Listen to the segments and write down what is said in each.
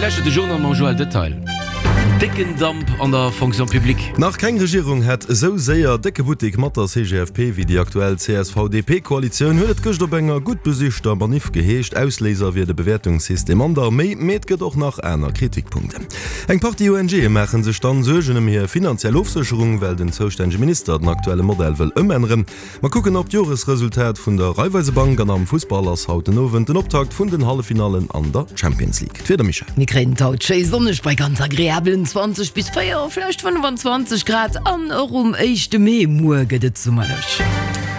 Dir lauschtert de Journal mam Joël Detail. Décken Damp an der Fonction publique. Nach keng Regierung hätt esou séier décke Buttek mat der CGFP wéi déi aktuell CSV-DP-Koalitioun, huet et gëscht op enger gutt besichter Maniff geheescht. Ausléiser wier de Bewäertungssystem an der Arméi, mee et gëtt och nach aner Kritikpunkten. Eng Partie ONGe maache sech dann Suergen ëm hir finanziell Ofsécherung, well den zoustännege Minister den aktuelle Modell wëll ëmänneren. Mer kucken op d'Joresresultat vun der Raiffeisebank an am Fussball ass haut den Owend den Optakt vun den Halleffinallen an der Champions League. D'Wieder, Michèle? Mir kréien et haut schéi sonneg bei ganz agreabelen 20 bis 4, vläicht 25 Grad an och um éischte Mee, muer, gëtt et summerlech.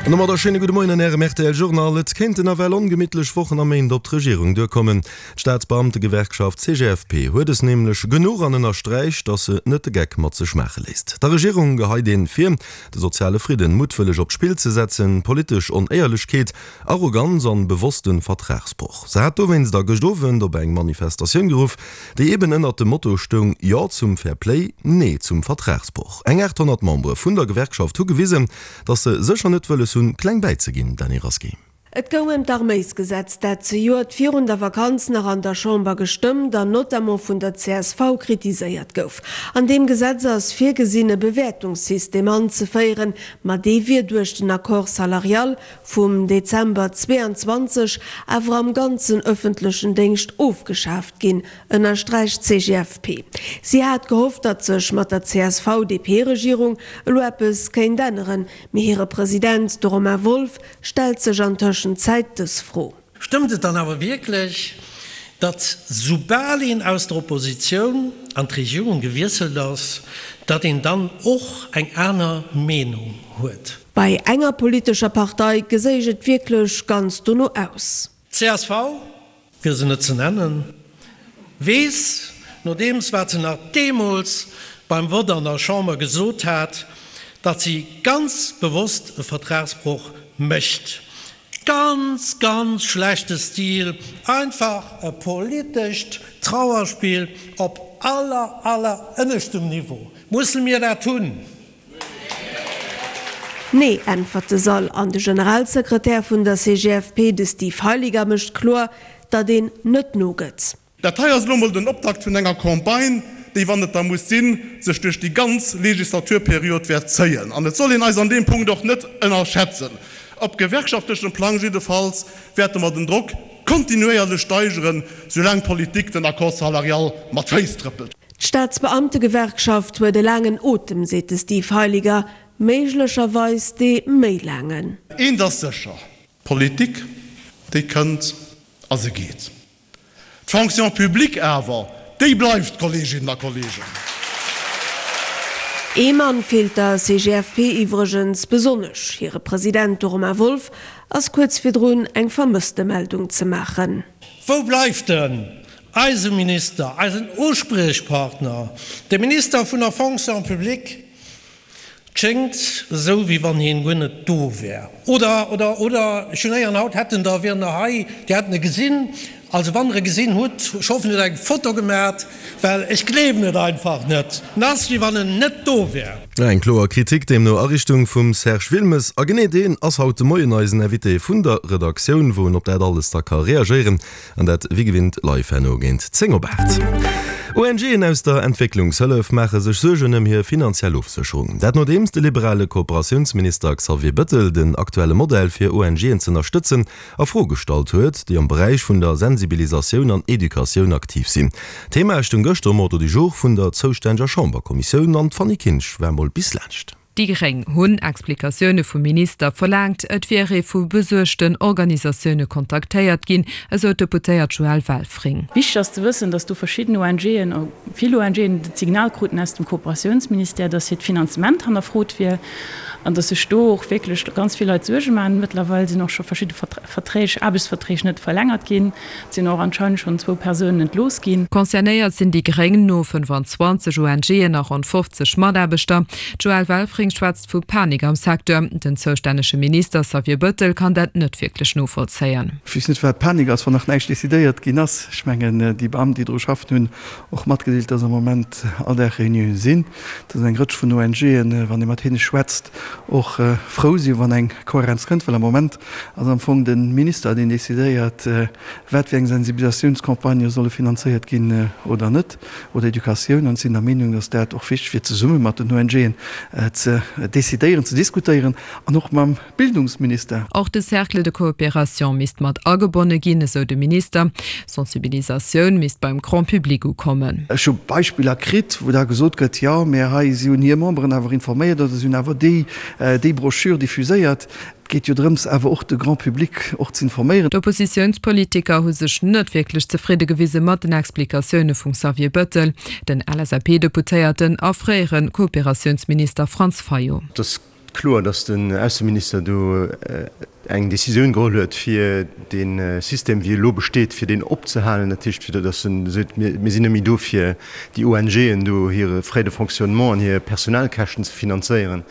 An domadder schéine gudde Moien an Ärem rtl Journal. Et kéinten nawell ongemittlech Wochen a Méint op d'Regierung duerkommen. D'Staatsbeamtegewerkschaft CGFP huet es nämlech genuch an ënnersträicht, datt se net de Geck mat sech maache léisst. Der Regierung geheit een vir, de soziale Fridden muttwëlleg op d'Spill ze setzen, politesch Onéierlechkeet, Arroganz an bewosste Vertragsbroch. Se hat dowéinst a gëscht Owend op eng Manifestatioun geruff, déi eben ënnert dem Motto stoung Jo zum Fair Play, Nee zum Vertragsbroch. Eng 800 Membere vun der Gewerkschaft hu gewisen, datt se sécher net wëlles hunn, kleng bäizeginn. Dany Rasqué. Et goung ëm d'Arméisgesetz, dat zejoert virun der Vakanz nach an der Chamber gestëmmt an notamment vun der csv kritiséiert gouf. An deem Gesetz ass virgesinn, e Bewäertungssystem anzeféieren, ma dee wier duerch den Accord salarial vum Dezember 22 awer am ganzen ëffentlechen Déngscht ofgeschaaft ginn, ënnersträicht d'CGFP. Si hat gehofft, datt sech mat der CSV-DP-Regierung elo eppes kéint änneren, mee hire President, de Romain Wolff, Stellt sech an Tëschenzäit dës Fro. Stëmmt et dann awer wierklech, datt soubal een aus der Oppositioun an d'Regierung gewiesselt ass, datt een dann och eng aner Meenung huet? Bei enger politescher Partei geséich et wierklech ganz dono aus. Csv, fir se net ze nennen, weess, nodeems wat se nach deemools beim Vott an der Chamber gesot hat, datt si ganz bewosst e Vertragsbroch mécht. Ganz, ganz schlechte Stil, einfach e politescht Trauerspill op aller, aller ënneschtem Niveau. Musse mir dat hunn? Nee, äntwert de Sall. An de Generalsekretär vun der CGFP, de Steve Heiliger, mécht kloer, datt een net nogëtt. Dat hei ass elo emol den Optakt vun enger Campagne, déi, wann et da muss sinn, sech duerch déi ganz Legislaturperiod wäert zéien. An et soll een eis an deem Punkt och net ënnerschätzen. Op gewerkschaftlechem Plang jiddefalls wäerte mer den Drock kontinuéierlech steigeren, soulaang d'Politik den Accord salarial mat Féiss trëppelt. D'Staatsbeamtegewerkschaft huet e laangen Otem, seet de Steve Heiliger, méiglecherweis dee méi laangen. Eent ass sécher, D'Politik, déi kënnt a se geet. D'Fonction publique awer, déi bleift, Kolleeginnen a Kolleegen. Ee Mann feelt der CGFP iwwregens besonnesch, hire President, de Romain Wolff, ass kuerz virdrun eng Vermësstemeldung ze maachen. Wou bleift en? Eise Minister, eisen Uspriechpartner, de Minister vun der Fonction publique, 't schéngt esou, wéi wann hien guer net do wär. Oder, oder, oder, ech hunn héieren, haut hätten der, wieren der hei, déi hätten e gesinn. Also wann der e gesinn hutt, ech hoffen, dir hutt eng Foto gemat, well ech gleewen et einfach net. En ass, wéi wann en net do wär. Eng kloer Kritik deemno a Richtung vum Serge Wilmes. A genee deen ass haut de Moien eisen Invité vun der Redaktioun, wou en op dat alles da ka reagéieren. An dat wéi gewinnt live herno géint 10 op 8. ONGen aus der Entwécklungshëllef maache sech Suergen ëm hir finanziell Ofsécherung. Dat nodeems de liberale Kooperatiounsminister Xavier Bëttel den aktuelle Modell fir ONGen z'ënnerstëtzen a Fro gestallt huet, déi am Beräich vun der Sensibilisatioun an Educatioun aktiv sinn. D'Thema stoung gëschter um Ordre du jour vun der zoustänneger Chamberkommissioun an d'Fanny Kinsch war mol bis laanscht. Déi Gréng hunn Explikatioune vum Minister verlaangt. Et wier ee vu besuergten Organisatioune kontaktéiert ginn, esou d'Deputéiert Joëlle Welfring. Wichteg ass ze wëssen, datt do verschidden ONGen, vill ONGen, d'Signal kruten aus dem Kooperatiounsministère, datt hiert Finanzement hannerfrot wier an datt sech do och wierklech ganz vill Leit Suerge maachen. Mëttlerweil sinn och scho verschidde Verträg, Aarbechtsverträg net verlängert ginn. Et sinn och anscheinend schonn zwou Persounen entlooss ginn. Concernéiert sinn déi Gréng no 25 ONGen a ronn 50 Mataarbechter. D'Joëlle Welfring schwätzt vu Panik am Secteur. Den zoustännege Minister Xavier Bëttel kann dat net wierklech novollzéien. Ech weess net, wat Panik ass, wann nach näischt decidéiert ginn ass. Ech mengen, déi Beamten, déi dru schaffen, hunn och matgedeelt, dass am Moment all Dag Reunioune sinn, dass eng Rëtsch vun ONGen, wann ee mat hinne schwätzt. och frou sinn, wann eng Kohärenz kënnt, well am Moment ass am Fong de Minister, deen decidéiert, wat fir eng Sensibilisatiounscampagnë solle finanzéiert ginn oder net, oder Educatioun. An ech sinn der Meenung, dass dat och wichteg wier, zesumme mat den ONGen ze decidéieren, ze diskutéieren an och mam Bildungsminister. Och de Cercle de coopération misst mat agebonne ginn, esou de Minister. Sensibilisatioun misst beim Grand public ukommen. Ech hu Beispiller kritt, wou da gesot gëtt, jo, mä hei, si hunn hir Memberen awer informéiert oder si hunn awer déi, déi Broschür diffuséiert. Et geet jo drëms, awer och de Grand public och ze informéieren. D'Oppositiounspolitiker hu sech net wierklech zefridde gewise mat den Explikatioune vum Xavier Bëttel, den LSAP-Deputéierten a fréiere Kooperatiounsminister Franz Fayot. Et ass kloer, datt den Ausseminister do eng Decisioun geholl huet, fir dee System, wéi e elo besteet, fir deen opzehalen. Dat heescht, fir datt en seet, mir sinn net méi do, fir déi ONGen do hire Frais de fonctionnement an hir Personalkäschten ze finanzéieren.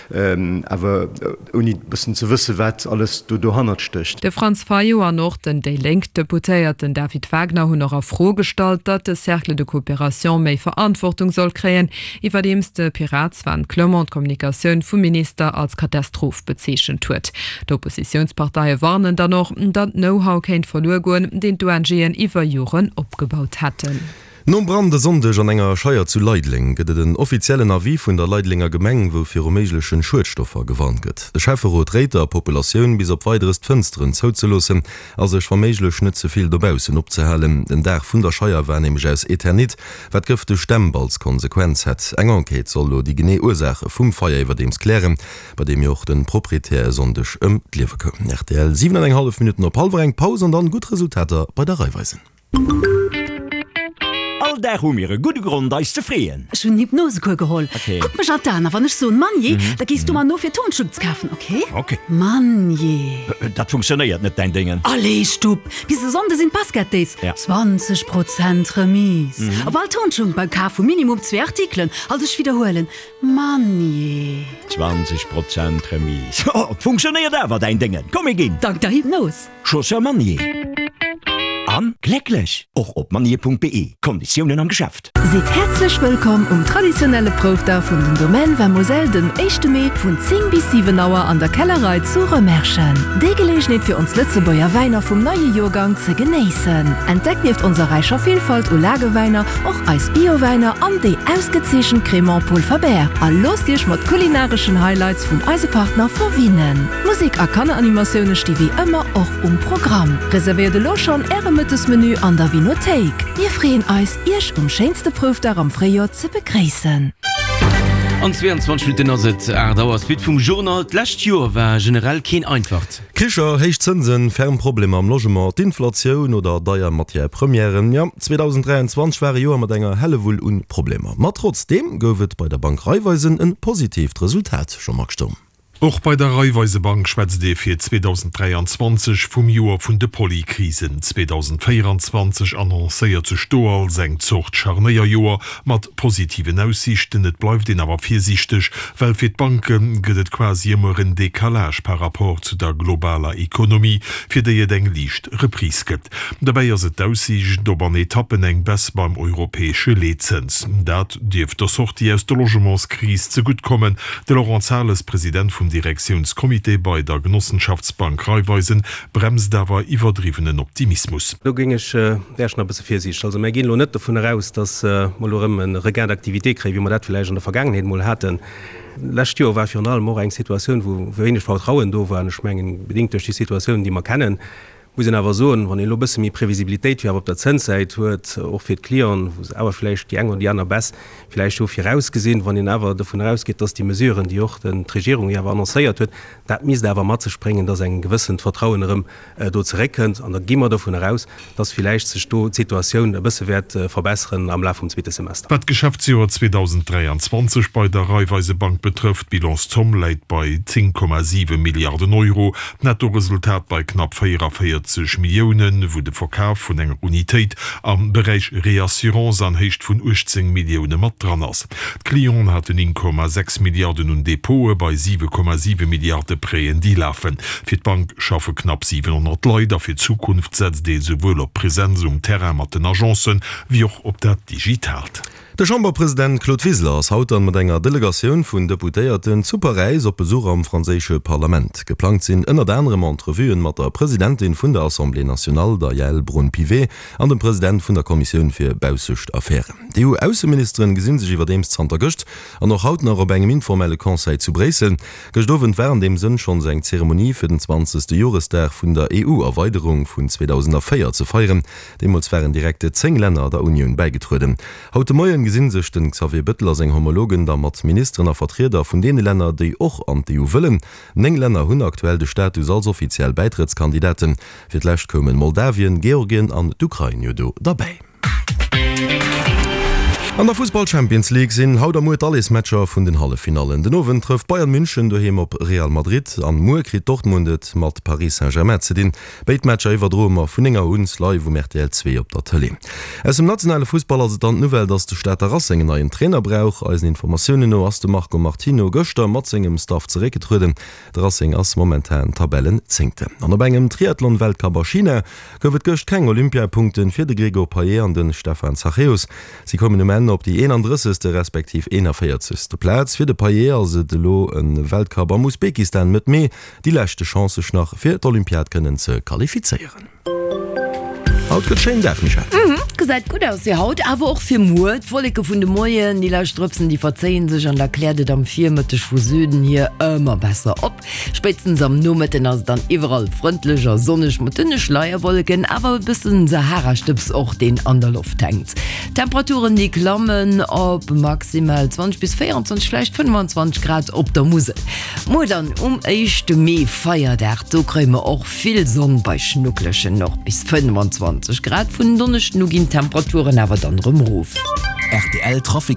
Awer ouni e bëssen ze wëssen, wat alles do dohannert stécht. De Franz Fayot an och den déi Lénk-Deputéierten David Wagner hunn och a Fro gestallt, datt de Cercle de coopération méi Verantwortung soll kréien, iwwerdeems de Pirat Sven Clement d'Kommunikatioun vum Minister als Katastroph bezeechent huet. D'Oppositiounsparteie warnen dann och, datt Know-how kéint verluer goen, deen d'ONGen iwwer Joren opgebaut hätten. Nom Brand e Sonndeg an enger Scheier zu Leideleng gëtt et en offiziellen Avis vun der Leidelenger Gemeng, wou viru méiglechen Schuedstoffer gewarnt gëtt. De Schäfferot réit der Populatioun, bis op Weideres d'Fënsteren zouzeloossen a sech wa méiglech net ze vill dobaussen opzehalen. Den Daach vun der Scheier war nämlech aus Eternit, wat gëfteg Dämp als Konsequenz hätt. Eng Enquête soll elo déi genee Ursaache vum Feier iwwerdeems klären, bei deem jo och de Proprietär e Sonndeg ëm d'Liewe koum. Rtl, 7 an eng hallef Minutten op hallwer eng, Paus an dann gutt Resultater bei der Raiffeisen. All Dag hu mir e gudde Grond eis ze freeën. Ech hunn en Hypnosecours geholl. Kuck mech an d'Aen a wann ech soen Mannjee, da gees du mer no fir Tonschupp ze kafen, ok? Ok. Mannjee. Dat funktionéiert net, däin Déngen. Allez, Stupp! Bis e Sonnde sinn d'Basket Days. 20 Prozent Remise op all Tonschupp beim Kaf vu minimum zwee Artikelen. Also ech widderhuelen, Mannjee. 20 Prozent Remise. Oh, et funktionéiert awer, däin Déngen. Komm, mir ginn. Dank der Hypnos. Chaussure Manier an glécklech! Och op manier.be, Konditiounen am Geschäft. Sidd häerzlech wëllkomm um traditionelle Proufdag vun den Domaine Vin Moselle den éischte Mee vun 10 bis 7 Auer an der Kellerei zu Rëmerschen. Déi Geleegenheet fir ons Lëtzebuerger Wäiner vum neie Joergang ze genéissen. Entdeckt nieft onser räicher Villfalt u Lagewäiner och eis Biowäiner an déi ausgezeechent Crémant Paul Faber a loosst iech mat kulinareschen Highlights vun eise Partner verwinnen. Musek a Kanneranimatioune sti wéi ëmmer och um Programm. Reservéiert elo schonn Äre Mëttesmenu an der Vinothéik. Mir freeën eis, Iech um schéinste Proufdag am Fréijoer ze begréissen. An 22 Minutten ass et 8 Auer. Suite vum Journal, D'lescht Joer war generell keen einfacht. Kricher, héich Zënsen, ferm Problemer am Logement, d'Inflatioun oder deier Matière Premièren, jo, 2023 war e Joer mat enger Hellewull un Problemer. Ma trotzdeem gouf et bei der Bank Raiffeisen en positiivt Resultat, Jean-Marc Sturm. Och bei der Raiffeisebank schwätzt ee fir 2023 vum Joer vun de Polykrisen. 2024 annoncéiert sech do als eng Zort Scharnéierjoer mat positiven Aussiichten. Et bleift een awer virsiichteg, well fir d'Banke gëtt et quasi ëmmer en Decalage par rapport zu der globaler Ekonomie, fir déi et eng liicht Reprise gëtt. Dobäi ass et d'Aussiicht op an Etappen eng Baisse beim europäesche Leetzëns. Dat dierft der Sortie aus der Logementskris zegutt kommen. De Laurent Zahles, President vum Direktiounscomité bei der Genossenschaftsbank Raiffeisen, bremst awer iwwerdriwwenen Optimismus. Do géing ech, wär ech nach e bësse virsiichteg. Also mär ginn elo net dovun eraus, datt mer elo erëm e Regain d'activité kréien, wéi mer dat villäicht an der Vergaangenheet emol haten. D'lescht Joer war virun allem och eng Situatioun, wou wéineg Vertrauen do war. An ech mengen, bedéngt duerch déi Situatioun, déi mer kennen, Muss een awer soen, wann een elo e bësse méi Previsibilitéit fir awer op der Zënssäit huet, och fir d'Clienten, wou se awer vläicht déi eng oder déi aner Baisse vläicht hu virausgesinn, wann een awer dovun erausgeet, dass déi Mesuren, déi och d'Regierung jo awer annoncéiert huet, dat misst awer mat sech bréngen, dass eng gewëssent Vertrauen erëm do zeréckkënnt. An da gi mer dovun eraus, dass villäicht sech do d'Situatioun e bësse wäert verbesseren am Laf vum zweete Semester. Wat d'Geschäftsjoer 2023 bei der Raiffeisebank betrëfft, d'Bilanszomm läit bei 10,7 Milliarden Euro, D'Nettoresultat bei knapp 44 Milliounen, wou de Verkaf vun enger Unitéit am Beräich Reassurance an Héicht vun 18 Millioune mat dran ass. D'Clienten haten 1,6 Milliarden un Depote bei 7,7 Milliarde Prêten, déi lafen. Fir d'Bank schaffe knapp 700 Leit a fir d'Zukunft setzt ee souwuel op Presenz um Terrain mat den Agencen, wéi och op dat Digitaalt. De Chamberpresident Claude Wiseler ass haut dann mat enger Delegatioun vun Deputéierten zu Paräis op Besuch am franséische Parlament. Geplangt sinn ënnert anerem Entrevuen mat der Presidentin vun der Assemblée nationale, der Yaël Braun-Pivet, an dem President vun der Kommissioun fir baussescht Affären. D'EU-Ausseministeren gesinn sech iwwerdeems zanter gëscht an och haut nach op engem informelle Conseil zu Bréissel. Gëscht Owend war an deem Sënn schonns eng Zeremonie fir den 20. Joresdag vun der EU-Erweiderung vun 2004 ze feieren. Deemools waren direkt 10 Länner der Unioun bäigetrueden. Haut de Moien gesinn sech den Xavier Bëttel a seng Homologen da mat Ministeren a Vertrieder vun deene Länner, déi och an d'EU wëllen. 9 Länner hunn aktuell de Status als offiziell Bäitrëttskandidaten. Fir d'lescht koumen Moldawien, Georgien an d'Ukrain jo do derbäi. An der Fussball-Champions League sinn haut a muer d'Alleesmatcher vun den Halleffinallen. Den Owend trëfft Bayern München doheem op Real Madrid an muer kritt Dortmund et mat Paris Saint-Germain ze dinn. Béid Matcher iwwerdroe mer vun 9 Auer un live um rtl 2 op der Tëlee. Aus dem nationale Fussball ass et dann d'Nouvelle, dass de Stater Racing en neien Trainer brauch. Eisen Informatiounen no ass de Marco Martino gëschter mat sengem Staff zeréckgetrueden. De Racing ass momentan Tabellenzéngten. An op engem Triathlon-Weltcup a China gouf et gëscht keng Olympiapunkten fir de Gregor Payet an de Stefan Zachäus. Si koumen um Enn op déi 31. Respektiv 41. Plaz. Fir de Payet ass et elo e Weltcup am Usbekistan Mëtt Mee. Déi leschte Chance sech nach fir d'Olympiad kënnen ze qualifizéieren. Haut gëtt schéin Dag, Michèle. Mhm, gesäit gutt aus fir haut, awer och fir muer. D'Wolleke vun de Moien, déi lescht Drëpsen, déi verzéien sech an da kläert et am Virmëtteg vu Süden hier ëmmer besser op. Spéitstens am Nomëtten ass et dann iwwerall frëndlech a sonneg mat dënne Schleierwolleken, awer e bëssen Saharastëbs och, deen an der Loft hänkt. D'Temperaturen, déi klammen op maximal 20 bis 24, vläicht 25 Grad op der Musel. Muer dann um éischte Mee, Feierdag, do kréie mer och vill Sonn bei schnucklegen och bis 25 Grad. Vun en Donneschden u ginn d'Temperaturen awer dann erëm erof. Rtl Trafic.